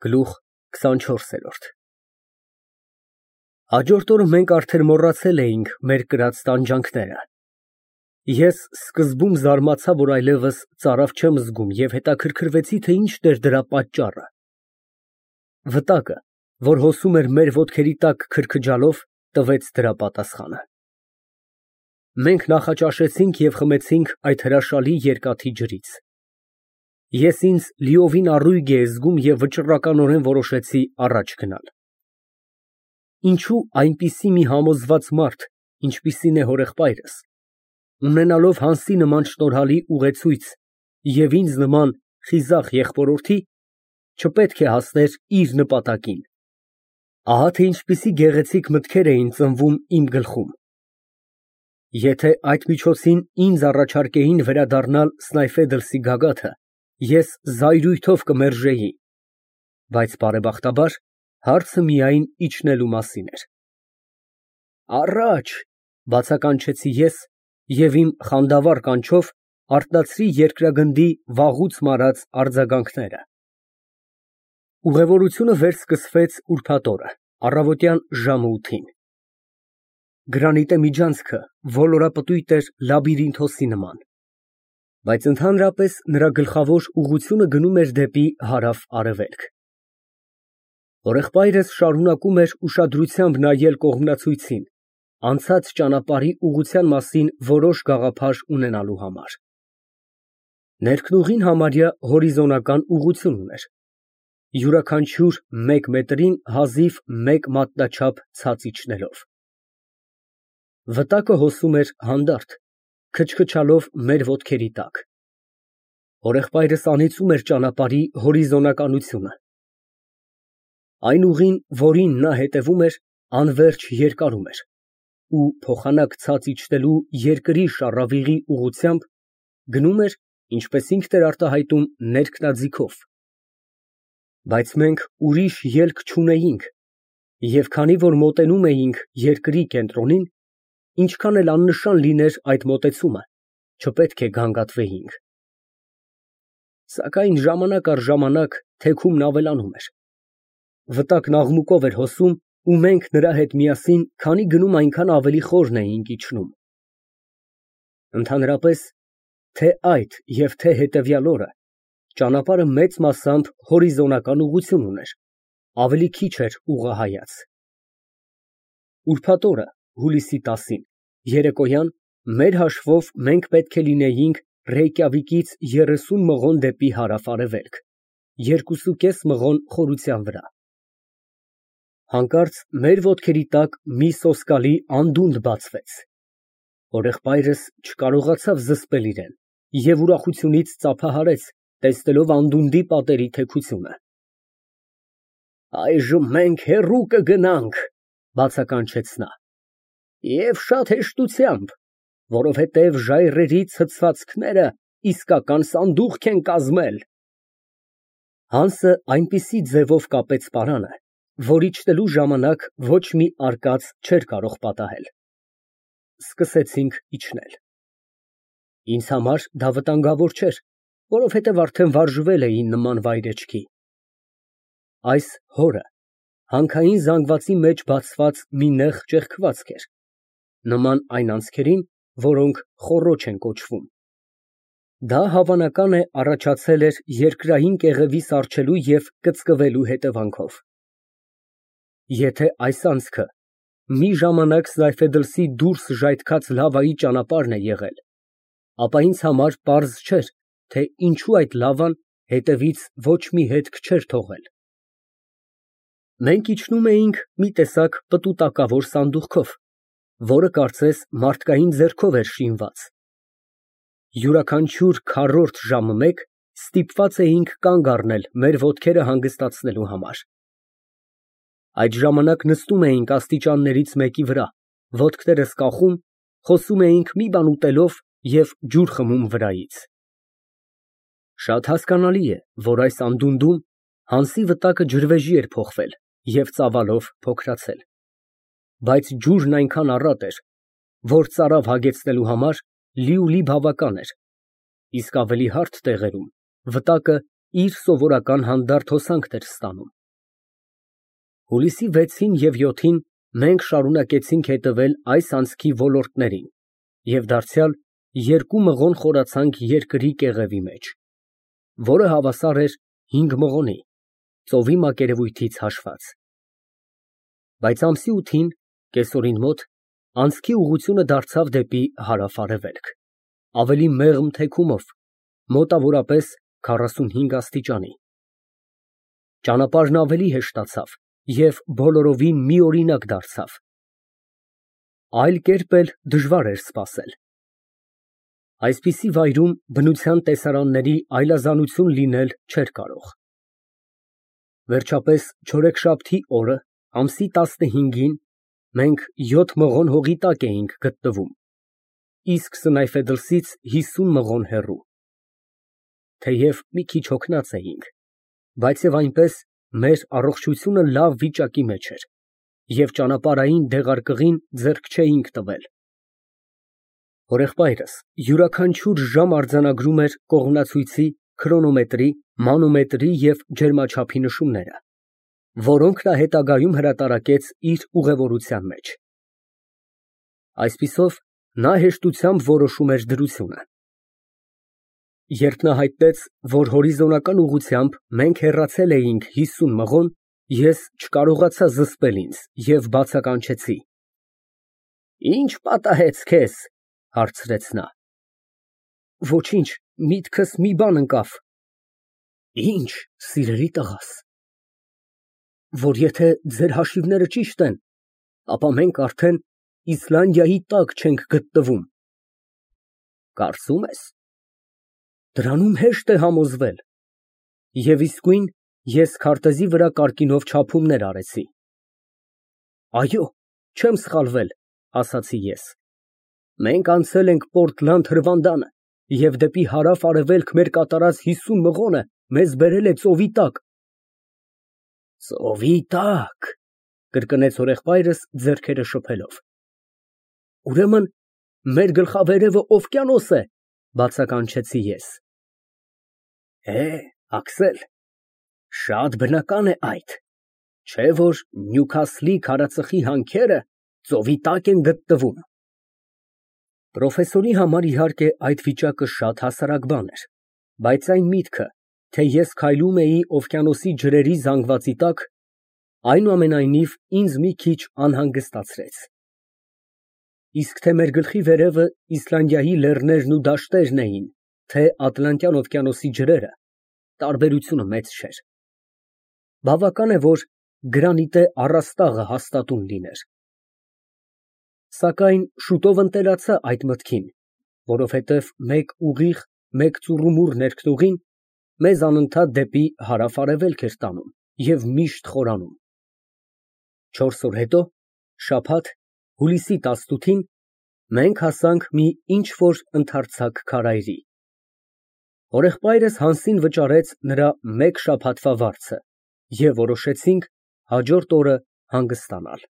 Գլուխ 24 Հաջորդ օրը մենք արդեն մոռացել էինք մեր կրած տանջանքները։ Ես սկզբում զարմացա, որ այլևս ծարավ չեմ զգում և հետաքրքրվեցի, թե ինչն էր դրա պատճառը։ Վտակը, որ հոսում էր մեր ոտքերի տակ քրքջալով, տվեց դրա պատասխանը։ Մենք նախաճաշեցինք և խմեցինք այդ հրաշալի երկաթի ջրից։ Ես ինձ լիովին առույգ էի զգում և վճռականորեն որոշեցի առաջ գնալ։ Ինչո՞ւ այնպիսի մի համոզված մարդ, ինչպիսին է հորեղբայրս, ունենալով Հանսի նման շնորհալի ուղեցույց և ինձ նման խիզախ եղբորորդի, չպետք է հասներ իր նպատակին։ Ահա թե ինչպիսի գեղեցիկ մտքեր էին ծնվում իմ գլխում։ Եթե այդ միջոցին ինձ առաջարկեին վերադառնալ Սնայֆեդլսի գագաթը, ես զայրույթով կմերժեի, բայց բարեբախտաբար հարցը միայն իջնելու մասին էր։ Առաջ, բացականչեցի ես և իմ խանդավառ կանչով արթնացրի երկրագնդի վաղուց մարած արձագանքները։ Ուղևորությունը վերսկսվեց ուրբաթ օրը, առավոտյան ժամը 8-ին։ Գրանիտե միջանցքը ոլորապտույտ էր լաբիրինթոսի նման, բայց ընդհանրապես նրա գլխավոր ուղղությունը գնում էր դեպի հարավ֊արևելք։ Հորեղբայրս շարունակում էր ուշադրությամբ նայել կողմնացույցին, անցած ճանապարհի ուղղության մասին որոշ գաղափար ունենալու համար։ Ներքնուղին համարյա հորիզոնական ուղղություն ուներ, յուրաքանչյուր 1 մետրին հազիվ 1 մատնաչափ ցած իջնելով։ Վտակը հոսում էր հանդարտ, քչքչալով մեր ոտքերի տակ։ Հորեղբայրս անիծում էր ճանապարհի հորիզոնականությունը։ Այն ուղին, որին նա հետևում էր, անվերջ երկարում էր, ու փոխանակ ցած իջնելու երկրի շառավիղի ուղղությամբ գնում էր, ինչպես ինքն էր արտահայտում, ներքնաձիգով։ Բայց մենք ուրիշ ելք չունեինք, և քանի որ մոտենում էինք երկրի կենտրոնին, ինչքան էլ աննշան լիներ այդ մոտեցումը, չպետք է գանգատվեինք։ Սակայն ժամանակ առ ժամանակ թեքումն ավելանում էր։ Վտակն աղմուկով էր հոսում, ու մենք նրա հետ միասին քանի գնում այնքան ավելի խորն էինք իջնում։ Ընդհանրապես, թե այդ և թե հետևյալ օրը, ճանապարհը մեծ մասամբ հորիզոնական ուղղություն ուներ, ավելի քիչ էր ուղղահայաց։ Ուրբաթ օրը, հուլիսի 10-ին, երեկոյան, մեր հաշվով մենք պետք է լինեինք Ռեյկյավիկից 30 մղոն դեպի հարավ֊արևելք, 2.5 մղոն խորության վրա։ Հանկարծ մեր ոտքերի տակ մի սոսկալի անդունդ բացվեց։ Հորեղբայրս չկարողացավ զսպել իրեն և ուրախությունից ծափահարեց, տեսնելով անդունդի պատերի թեքությունը։ Այժմ մենք հեռու կգնանք, բացականչեց նա, և շատ հեշտությամբ, որովհետև ժայռերի ցցվածքները իսկական սանդուղք են կազմել։ Հանսը այնպիսի ձևով կապեց պարանը, որ իջնելու ժամանակ ոչ մի արկած չէր կարող պատահել։ Սկսեցինք իջնել։ Ինձ համար դա վտանգավոր չէր, որովհետև արդեն վարժվել էի նման վայրեջքի։ Այս հորը հանքային զանգվածի մեջ բացված մի նեղ ճեղքվածք էր, նման այն անցքերին, որոնք խոռոչ են կոչվում։ Դա հավանական է առաջացել էր երկրային կեղևի սառչելու և կծկվելու հետևանքով։ Եթե այս անցքը մի ժամանակ Սնայֆեդլսի դուրս ժայթքած լավայի ճանապարհն է եղել, ապա ինձ համար պարզ չէր, թե ինչու այդ լավան հետևից ոչ մի հետք չէր թողել։ Մենք իջնում էինք մի տեսակ պտուտակավոր սանդուղքով, որը կարծես մարդկային ձեռքով էր շինված։ Յուրաքանչյուր քառորդ ժամը մեկ ստիպված էինք կանգ առնել մեր ոտքերը հանգստացնելու համար։ Այդ ժամանակ նստում էինք աստիճաններից մեկի վրա, ոտքներս կախում, խոսում էինք մի բան ուտելով և ջուր խմում վրայից։ Շատ հասկանալի է, որ այս անդունդում Հանսի վտակը ջրվեժի էր փոխվել և ծավալով փոքրացել, բայց ջուրն այնքան առատ էր, որ ծարավ հագեցնելու համար լիուլի բավական էր, իսկ ավելի հարթ տեղերում վտակը իր սովորական հանդարտ հոսանքն էր ստանում։ Հուլիսի 6-ին և 7-ին մենք շարունակեցինք հետևել այս անցքի ոլորտներին և դարձյալ երկու մղոն խորացանք երկրի կեղևի մեջ, որը հավասար էր 5 մղոնի, ծովի մակերևույթից հաշված։ Բայց ամսի 8-ին, կեսօրին մոտ, անցքի ուղղությունը դարձավ դեպի հարավ֊արևելք, ավելի մեղմ թեքումով, մոտավորապես 45 աստիճանի։ Ճանապարհն ավելի հեշտացավ և բոլորովին միօրինակ դարձավ։ Այլ կերպ էլ դժվար էր սպասել։ Այսպիսի վայրում բնության տեսարանների այլազանություն լինել չէր կարող։ Վերջապես չորեքշաբթի օրը, ամսի 15-ին, մենք 7 մղոն հողի տակ էինք գտնվում, իսկ Սնայֆեդլսից 50 մղոն հեռու։ Թեև մի քիչ հոգնած էինք, բայց և այնպես մեր առողջությունը լավ վիճակի մեջ էր և ճանապարհային դեղարկղին ձեռք չէինք տվել։ Հորեղբայրս յուրաքանչյուր ժամ արձանագրում էր կողմնացույցի, քրոնոմետրի, մանոմետրի և ջերմաչափի նշումները, որոնք նա հետագայում հրատարակեց իր ուղևորության մեջ։ Այսպիսով, նա հեշտությամբ որոշում էր դրությունը։ Երբ նա հայտնեց, որ հորիզոնական ուղղությամբ մենք հեռացել էինք 50 մղոն, ես չկարողացա զսպել ինձ և բացականչեցի։ «Ի՞նչ պատահեց քեզ» հարցրեց նա։ «Ոչինչ, միտքս մի բան ընկավ»։ «Ի՞նչ, սիրելի տղաս»։ «Որ եթե ձեր հաշիվները ճիշտ են, ապա մենք արդեն Իսլանդիայի տակ չենք գտնվում»։ «Կարծում ես»։ Դրանում հեշտ է համոզվել։ Եվ իսկույն ես քարտեզի վրա կարկինով չափումներ արեցի։ «Այո, չեմ սխալվել», ասացի ես։ «Մենք անցել ենք Պորտլանդ հրվանդանը և դեպի հարավ֊արևելք մեր կատարած 50 մղոնը մեզ բերել է ծովի տակ»։ «Ծովի տակ», կրկնեց հորեղբայրս ձեռքերը շփելով։ «Ուրեմն մեր գլխավերևը օվկիանոս է», բացականչեցի ես։ Աքսել, շատ բնական է այդ, չէ՞ որ Նյուքասլի քարածխի հանքերը ծովի տակ են գտնվում։ Պրոֆեսորի համար, իհարկե, այդ վիճակը շատ հասարակ բան էր, բայց այն միտքը, թե ես քայլում էի օվկիանոսի ջրերի զանգվածի տակ, այնուամենայնիվ ինձ մի քիչ անհանգստացրեց։ Իսկ թե մեր գլխի վերևը Իսլանդիայի լեռներն ու դաշտերն էին, թե Ատլանտյան օվկիանոսի ջրերը, տարբերությունը մեծ չէր։ Բավական է, որ գրանիտե առաստաղը հաստատուն լիներ։ Սակայն շուտով ընտելացա այդ մտքին, որովհետև մեկ ուղիղ, մեկ ծուռումուռ ներքնուղին մեզ անընդհատ դեպի հարավ֊արևելք էր տանում և միշտ խորանում։ 4 օր հետո, շաբաթ, հուլիսի 18-ին, մենք հասանք մի ինչ֊որ ընդարձակ քարայրի։ Հորեղբայրս Հանսին վճարեց նրա մեկ շաբաթվա վարձը և որոշեցինք հաջորդ օրը հանգստանալ։